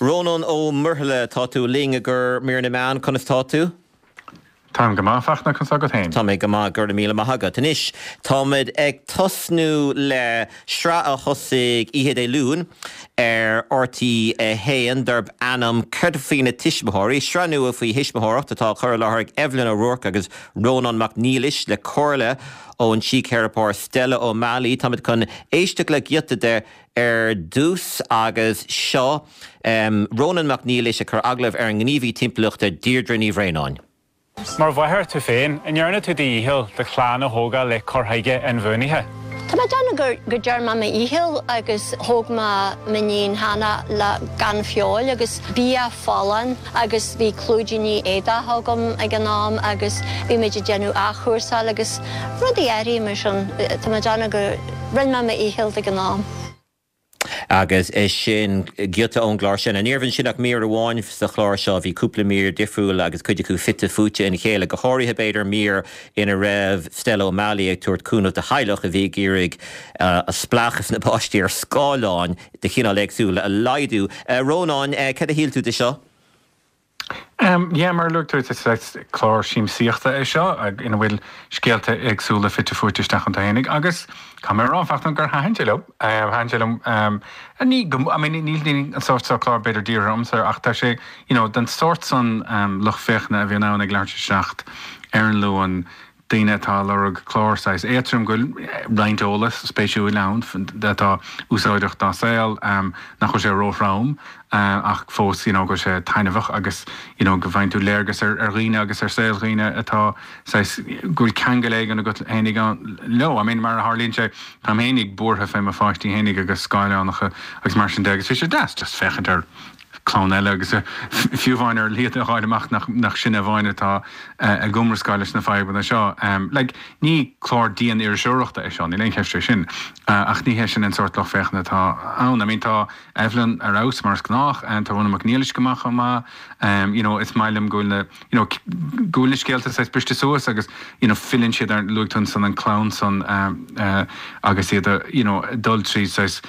Rónán Ó Muirthile, tá tú linn i gcomhair mír na meán, conas tá tú? Táim go maith, a Fhachtna, conas tá agat féin? Tá mé go maith, go raibh míle maith agat. Anois, táimid ag tosnú le sraith a thosaigh oíche Dé Luain ar RTÉ 1 darb ainm Céard Faoi na Tuismitheoirí? Sraith nua faoi thuismitheoireacht atá á cur i láthair ag Evelyn O'Rourke agus Rónán Mac Niallais le comhairle ón síctheiripeoir Stella O'Malley. Táimid chun éisteacht le giota de Ar dtús agus seo Rónán Mac Niallais ag cur agallamh ar an ngníomhaí timpeallachta Deirdre Ní Bhraonáin. Mar mháthair tú féin, an ndearna tú do dhícheall do chlann a thógáil le cur chuige inbhuanaithe? Tá mé ag déanamh gur go ndearna mé mo dhícheall agus thóg mé m'iníon Hannah le gan feoil agus bia folláin agus bhí clúidíní éadach agam ag an am agus bhí muid ag déanamh athchúrsáil agus rudaí áirithe mar sin. Tá mé ag déanamh go rinne mé mo dhícheall ag an am. Agus sin giota ón gclár sin. Ní raibh ansin ach mír amháin sa chlár seo, bhí cúpla mír difriúil agus cuid acu fite fuaite ina chéile, go háirithe b'fhéidir mír ina raibh Stella O'Malley ag tabhairt cúnamh do theaghlach a bhí ag iarraidh spleáchas na bpáistí ar scáileáin de chineál éagsúil a laghdú. A Rónáin, cad a shíl tú de seo? Yeah, mar a luaigh tú, is saghas clár siamsaíochta é seo ina bhfuil scéalta éagsúla fite fuaite isteach iontu fhéinig agus caithfidh mé a rá, a Fhachtna, gur thaitin sé liom. Thaitin sé liom, ní go, I mean, níl an sórt seo clár b'fhéidir dírithe ormsa ach tá sé, you know, den sórt san lucht féachana a bhíonn ann ag leathuair tar éis a 7 ar an Luan, daoine atá ag lorg clár saghas éadtrom go bhfuil roinnt eolas spéisiúil ann atá úsáideach dá saol, nach bhfuil sé róthrom ach fós you know go bhfuil sé taitneamhach agus you know go bhfaigheann tú léargas ar dhaoine agus ar saol dhaoine atá saghas go bhfuil ceangal éigin agat fhéinig leo. I mean mar a tharlaíonn sé táim fhéinig buartha fé mo pháistí fhéinig agus scáileánacha agus mar sin de agus bhí sé deas just féachaint ar clann eile agus fiú amháin ar iad a fháil amach nach sinne amháin atá ag iomrascáil leis na fadhbanna seo. Like, ní clár dian-iriseoireachta é seo, níl aon cheist fé sin, ach ní hé sin an sórt lucht féachana atá ann. I mean, tá Evelyn ar fheabhas mar is gnách, tá Rónán Mac Niallais go maith chomh maith, you know, is maith liom go bhfuil na, you know, go bhfuil na scéalta saghas briste suas agus, you know, filleann siad ar, luaigh tú ansan an clann san agus iad a, you know, dul tríd saghas,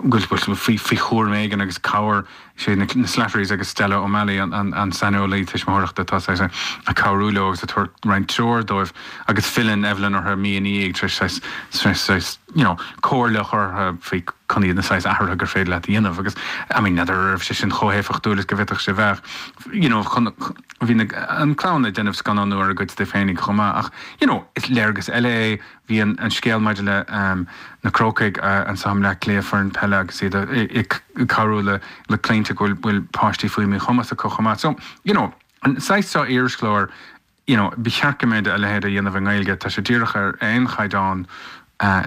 go bhfuil faoi, faoi chúram éigin agus cabhair, sé na Slatterys agus Stella O'Malley an, an, an saineolaí tuismitheoireachta atá saghas ag cabhrú leo agus ag tabhairt roinnt treoir dóibh agus filleann Evelyn orthu mí ina dhiaidh tar éis saghas, tar éis saghas, you know, comhairle a chur orthu faoi cad iad na saghas athruithe gur féidir leat a dhéanamh agus, I mean, n'fheadar an raibh sé sin chomh héifeachtúil is go bhféadfadh sé bheith. you know, chun, bhí na, an clann ag déanamh scannánú ar a gcuid de féinig chomh maith ach, you know, is léargas eile é, bhí an, an scéal maidir le ehm na Crócaigh anso i mBleá Cliath, foireann peile agus iad ag cabhrú le, le claimhte go bhfuil, bhfuil páistí faoi mhíchumas acu chomh maith. So, you know, an saghas seo irischláir, you know, ba cheart go mbeadh a leithéid á dhéanamh i nGaeilge, tá sé díreach ar aon chaighdeán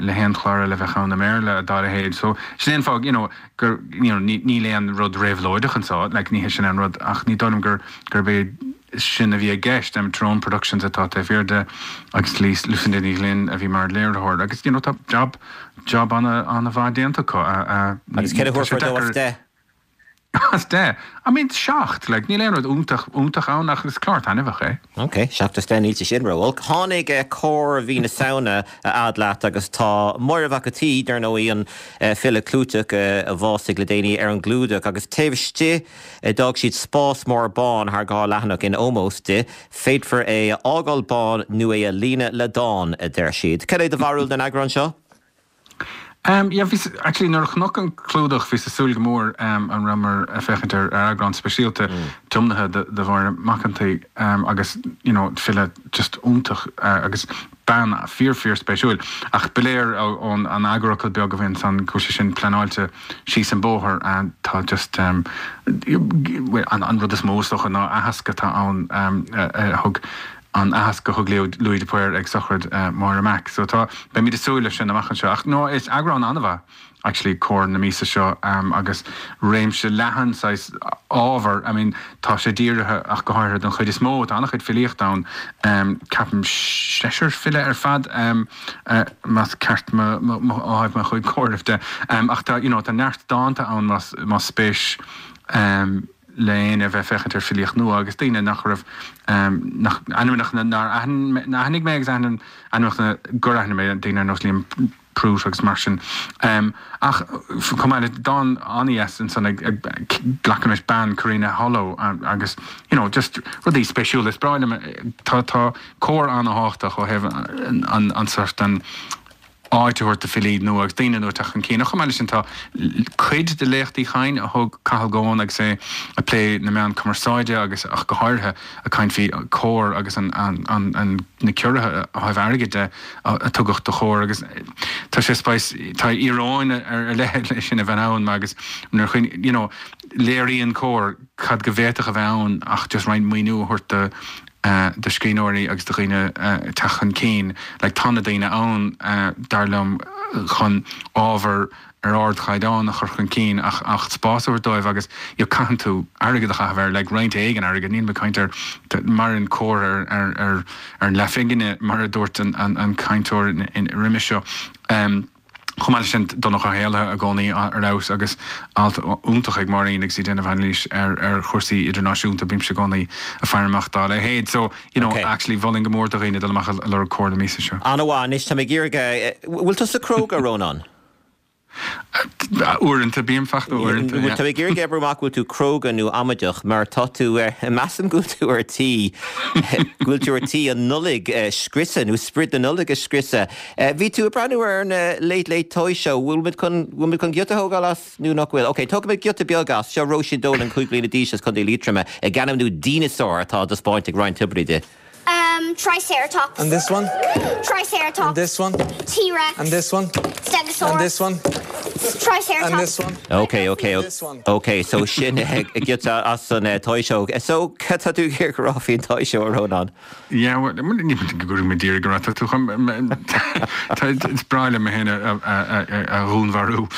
le haon chlár eile a bheadh ann i mBéarla dá leithéid. So, sin é an fáth, you know, gur, you know, níl aon rud réabhlóideach anseo, like, ní hé sin an rud, ach ní dóigh liom gur, gurb é sin a bhí i gceist. Tyrone Productions atá taobh thiar de agus Lucinda Ní Ghlinn a bhí mar léiritheoir agus, you know, tá job, job ana, ana-mhaith déanta acu. Agus céard a thabharfá dó as 10? As 10? I mean, 7, like, níl aon rud iontach, iontach ann ach is clár taitneamhach é. Ok, 7 as 10, níl sé sin ró-olc. Tháinig Comhar mhí na Samhna a fhad leat agus tá Máire Mhac an tSaoi, dar ndóigh, an file clúiteach a bhásaigh le déanaí, ar an gclúdach agus taobh istigh d'fhág siad spás mór bán thar dhá leathanach in ómós di. Féadfar é a fhágáil bán nó é a líonadh le dán, a deir siad. Cad é do bharúil den eagrán seo? Em, yeah, bhí, actually nuair a chonac an clúdach bhíos ag súil go mór em an rabhamar ag féachaint ar ar eagrán speisialta tiomnaithe do do Mháire Mac an tSaoi em agus you know file just iontach eh agus bean fíor fíor spéisiúil ach ba léir ón an eagarfhocal beag a bhí ansan go bhfuil sé sin pleanáilte síos an bóthar eh tá just em an an rud is mó is dócha ná aitheasc atá ann em a thug an aitheasc a thug Louis de Paor ag sochraid Máire Mac. So tá, beimid ag súil leis sin amach anseo. Ach no, is eagrán an-mhaith actually Comhar na míosa seo agus réimse leathan saghas ábhar, I mean tá sé dírithe ach go háirithe don chuid is mó, tá an-chuid filíochta ann, ceapaim seisear file ar fad más ceart mo, mo, mo, ó thaobh mo chuid comhairimh de. Ach tá, you know, tá neart dánta ann más, más spéis le éinne a bheith ag féachaint ar filíocht nua agus daoine nach raibh, nach, ainmneacha nár aithnigh mé agus ainmneacha gur aithnigh mé, daoine ar nós Liam Prout agus mar sin. Ach chomh maith le dán an-dheas ansan ag glacaim leis bean Karina Hollo agus you know just rudaí spéisiúla. Is breá liom, tá tá Comhar an-thábhachtach ó thaobh an an sort an áit a thabhairt do filí nua agus daoine nua teacht chun cinn. Ach chomh maith leis sin tá cuid de léachtaí Chinn a thug Cathal Goan agus é ag plé na meán cumarsáide agus ach go háirithe ag caint faoi Comhar agus an an an na ciorruithe ó thaobh airgid de a tugadh do Chomhar agus tá sé spéis tá íoróin ar leith leis sin a bheith ann agus nuair a chuimhn you know léiríonn Comhar cad go bhféadfadh a bheith ann ach just roinnt maoiniú a thabhairt do do scríbhneoirí agus do dhaoine teacht chun cinn. Like tá na daoine ann dar liom chun ábhar ar ardchaighdeán a chur chun cinn ach ach spás a thabhairt dóibh agus you know caitheann tú airgead a chaitheamh air like roinnt éigin airgid níl mé ag caint ar maireann Comhar ar ar ar ar an leathphingine mar a dúirt an an an cainteoir roimis seo. Um, Chomh maith leis sin, Donncha Ó hÉallaithe i gcónaí ar fheabhas agus alt iontach ag Máirín agus í ag déanamh anailís ar ar chúrsaí idirnáisiúnta, bímse i gcónaí ag faire amach dá leithéid. So, you know, Ok. actually mholfainn go mór do dhaoine dul amach a lorg Comhar na míosa seo. An-mhaith. Anois tá mé ag iarraidh, bhfuil tusa cróga, a Rónáin? Uaireanta, bím fachta uaireanta, yeah. Tá mé ag iarraidh oibriú amach bhfuil tú cróga nó amaideach mar tá tú, measaim go bhfuil tú ar tí, go bhfuil tú ar tí an Nollaig a scriosadh nó sprid na Nollag a scriosadh. Bhí tú ag breathnú ar an Late Late Toy Show, bhfuil muid chun, bhfuil muid chun giota a thógáil as nó nach bhfuil? Ok, tógfaimid giota beag as, seo Róisín Dolan, 5 bliana d'aois as Contae Liatroma, ag ainmniú dineasár atá á dtaispeáint ag Ryan Tubridy di. Um, Triceratops. And this one? Triceratops. And this one? T-Rex. And this one? Stegosaurus. And this one? Triceratops. And this one? Ok, ok, And this one? ok, so sin giota as an Toy Show. So, cad tá tú ag iarraidh a rá faoin Toy Show, a Rónáin? Yeah, well, ní go gcuirfidh mé díreach go raibh tú chun, is breá liom mé féin a dhúnmharú.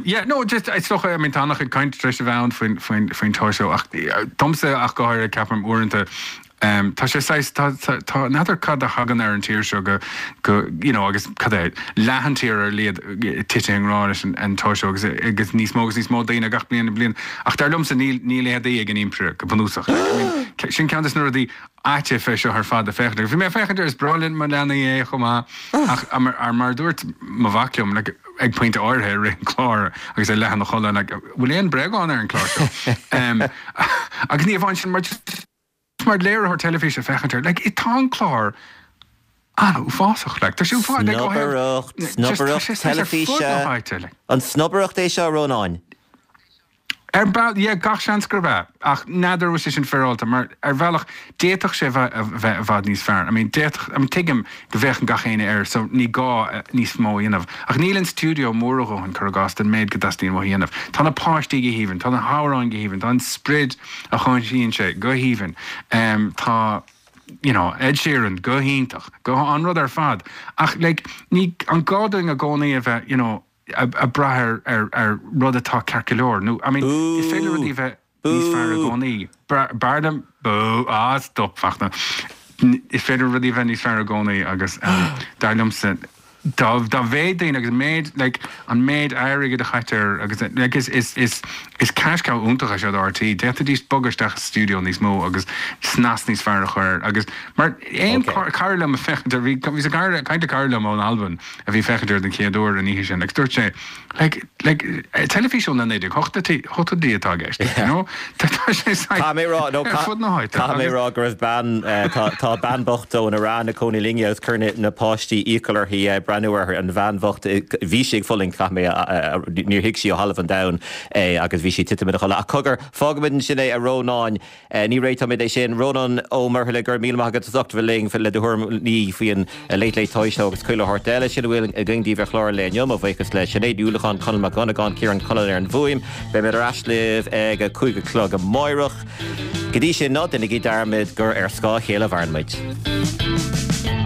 Yeah, no, just, is dócha, I mean, tá an-chuid cainte tar éis a bheith ann faoin, faoin, faoin Toy Show ach domsa ach go háirithe ceapaim uaireanta, Tá sé saghas, tá, tá, tá, n'fheadar cad a thagann ar an tír seo go, go, you know, agus cad é, leath an tír ar a laghad tite i ngrá leis an, an Toy Show agus, agus níos mó agus níos mó daoine gach bliain bliain. Ach dar liomsa níl, níl éadaí ag an Impire go bunúsach. Like, I mean, sin ceann des na rudaí aite fé seo ar fad a féachaint air. Bhí mé ag féachaint air, is breá le mo leanaí é chomh maith ach mar, mar a dúirt mo mhac liom, like, ag pointe áirithe i rith an chláir agus é leath ina chodladh, like, bhfuil aon bréagán ar an chlár seo? Agus ní amháin sin, mar just, mar léiritheoir teilifíse féachaint air, like, tá an clár an-uafásach, like, tá sé uafásach, like, ó thaobh, Snobaireacht, just, tá snobaireacht sé saghas ar fud na teilifíse. háite, like. An snobaireacht é seo, a Rónáin? Ar bhealach, yeah, gach seans gurb ea, ach n'fheadar an bhfuil sé sin féaráilte, mar ar bhealach, d'fhéadfadh sé a bheith, a bheith i bhfad níos fearr. I mean, d'fhéadfadh, I mean, tuigim go bhféachann gach éinne air, so ní gá níos mó a dhéanamh, ach níl an stiúideo mór a dhóthain, cuir i gcás, don méid go dteastaíonn uathu a dhéanamh. Tá na páistí go haoibhinn, tá na hamhráin go haoibhinn, tá an sprid a chothaíonn sé go haoibhinn. Tá you know Ed Sheeran go hiontach, go an rud ar fad ach like ní an gá dúinn i gcónaí a bheith you know ag brath ar ar ar rud atá ceart go leor nó I mean is féidir rudaí a bheith níos fearr i gcónaí. B'fhearr liom bú ah stop Fachtna. Is féidir rudaí a bheith níos fearr i gcónaí agus dar liomsa dá dá mhéad daoine agus méid like an méid airgid a chaitear agus like is is is is cash cow iontach é seo do RTÉ. D'fhéadfaidís bogadh isteach i stiúideo níos mó agus snas níos fearr a chur air agus mar aon okay. cara liom ag féachaint air bhí bhí sa cara caint le cara liom ón Albain a bhí féachaint air den chéad uair an oíche sin agus dúirt sé Like, like, teilifís ó na 1980idí atá i gceist, you know? Tá sé Caithfidh mé rá, no, ar fud na háite. Caithfidh mé rá go raibh bean, tá, tá bean bhocht ón Iaráin ina cónaí linne agus chuir na, na páistí iachall uirthi breathnú air, an bhean bhocht, bhí sí ag fulaingt, caithfidh mé, níor thuig sí ó thalamh an domhain é agus bhí sí ag titim ina chodladh. Ach cogar, fágfaimid ansin é, a Rónáin. Ní réiteoimid é sin. Rónán Ó Muirthile, go raibh míle maith agat as ucht a bheith linn le do thuairimí faoi an Late Late Toy Show agus chuile shórt eile. Sin a bhfuil againn daoibh ar chlár an lae inniu. Mo bhuíochas le Sinéad Ní Uallacháin, Conall Mac Dhonnagáin, Ciarán Cullen ar an bhfuaim. Beimid ar ais libh ag a 5 a chlog amáireach. Go dtí sin, ná déanaigí dearmad gur ar scáth a chéile a mhaireann muid.